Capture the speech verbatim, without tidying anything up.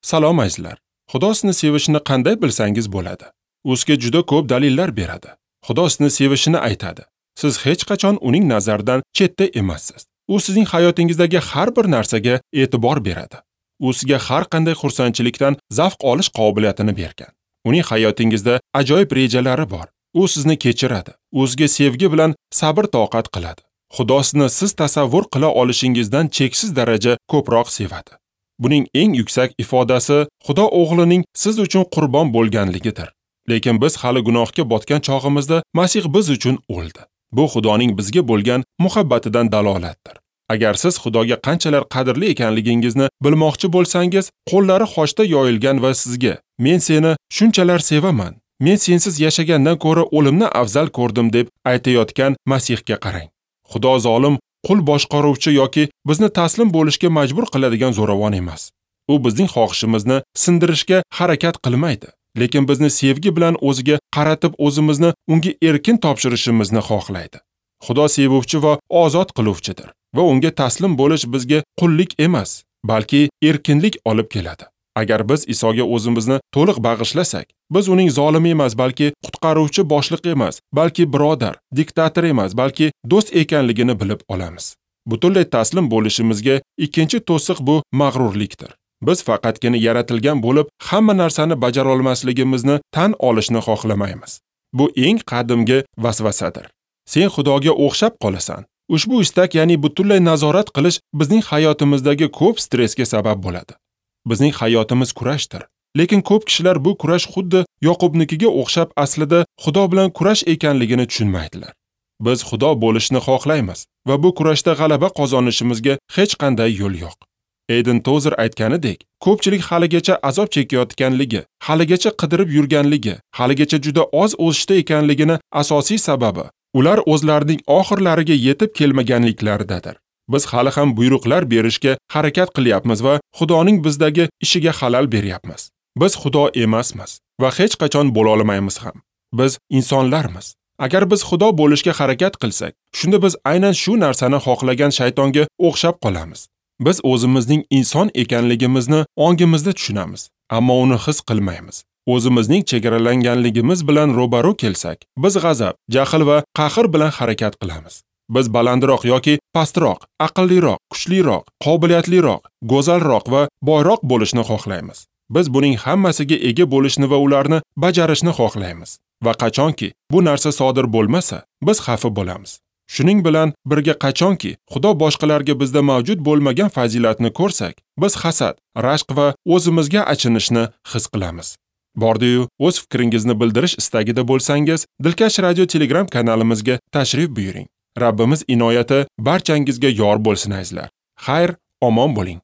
Salom azizlar. Xudo sizni sevishini qanday bilsangiz bo'ladi? U sizga juda ko'p dalillar beradi. Xudo sizni sevishini aytadi. Siz hech qachon uning nazaridan chetda emassiz. U sizning hayotingizdagi har bir narsaga e'tibor beradi. U sizga har qanday xursandchilikdan zavq olish qobiliyatini bergan. Uning hayotingizda ajoyib rejalari bor. U sizni kechiradi. U sizga sevgi bilan sabr-toqat qiladi. Xudo sizni siz tasavvur qila olishingizdan cheksiz daraja ko'proq sevadi. Buning eng yuksak ifodasi Xudo o'g'lining siz uchun qurbon bo'lganligidir. Lekin biz hali gunohga botgan chog'imizda Masih biz uchun o'ldi. Bu Xudoning bizga bo'lgan muhabbatidan dalolatdir. Agar siz Xudoga qanchalar qadrli ekanligingizni bilmoqchi bo'lsangiz, qo'llari xochda yoyilgan va sizga "Men seni shunchalar sevaman, men sensiz yashagandan ko'ra o'limni afzal ko'rdim" deb aytayotgan Masihga qarang. Xudo zolim, qul boshqaruvchi yoki bizni taslim bo'lishga majbur qiladigan zo'ravon emas. U bizning xohishimizni sindirishga harakat qilmaydi, lekin bizni sevgi bilan o'ziga qaratib o'zimizni unga erkin topshirishimizni xohlaydi. Xudo sevuvchi va ozod qiluvchidir va unga taslim bo'lish bizga qullik emas, balki erkinlik olib keladi. Agar biz Isoga o'zimizni to'liq bag'ishlasak, biz uning zolimi emas, balki qutqaruvchi boshliq emas, balki birodar, diktator emas, balki do'st ekanligini bilib olamiz. Butunlay taslim bo'lishimizga ikkinchi to'siq bu mag'rurlikdir. Biz faqatgina yaratilgan bo'lib, hamma narsani bajara olmasligimizni tan olishni xohlamaymiz. Bu eng qadimgi vasvasadir. Sen Xudoga o'xshab qolasan. Ushbu istak, ya'ni butunlay nazorat qilish bizning hayotimizdagi ko'p stressga sabab bo'ladi. Bizning hayotimiz kurashdir. Lekin ko'p kishilar bu kurash xuddi Yoqubnikiga o'xshab aslida Xudo bilan kurash ekanligini tushunmaydilar. Biz Xudo bo'lishni xohlaymiz va bu kurashda g'alaba qozonishimizga hech qanday yo'l yo'q. Eden Tozer aytganidek, ko'pchilik haligacha azob chekayotganligi, haligacha qidirib yurganligi, haligacha juda oz o'sishda ekanligini asosiy sababi ular o'zlarining oxirlariga yetib kelmaganliklaridadir. Biz hali ham buyruqlar berishga harakat qilyapmiz va Xudoning bizdagi ishiga xalal beryapmiz. Biz Xudo emasmiz va hech qachon bo'la olmaymiz ham. Biz insonlarmiz. Agar biz Xudo bo'lishga harakat qilsak, shunda biz aynan shu narsani xohlagan shaytonga o'xshab qolamiz. Biz o'zimizning inson ekanligimizni ongimizda tushunamiz, ammo uni his qilmaymiz. O'zimizning chegaralanganligimiz bilan ro'baro kelsak, biz g'azab, jahl va qahr bilan harakat qilamiz. Biz balandroq yoki pastroq, aqlliroq, kuchliroq, qobiliyatliroq, go'zalroq va boyroq bo'lishni xohlaymiz. Biz buning hammasiga ega bo'lishni va ularni bajarishni xohlaymiz. Va qachonki bu narsa sodir bo'lmasa, biz xafa bo'lamiz. Shuning bilan birga qachonki Xudo boshqalarga bizda mavjud bo'lmagan fazilatni ko'rsak, biz hasad, rashq va o'zimizga achinishni his qilamiz. Bordi-yu, o'z fikringizni bildirish istagida bo'lsangiz, Dilkash Radio Telegram kanalimizga tashrif buyuring. Rabbimiz inoyati barchangizga yor bo'lsin azizlar. Xayr, omon bo'ling.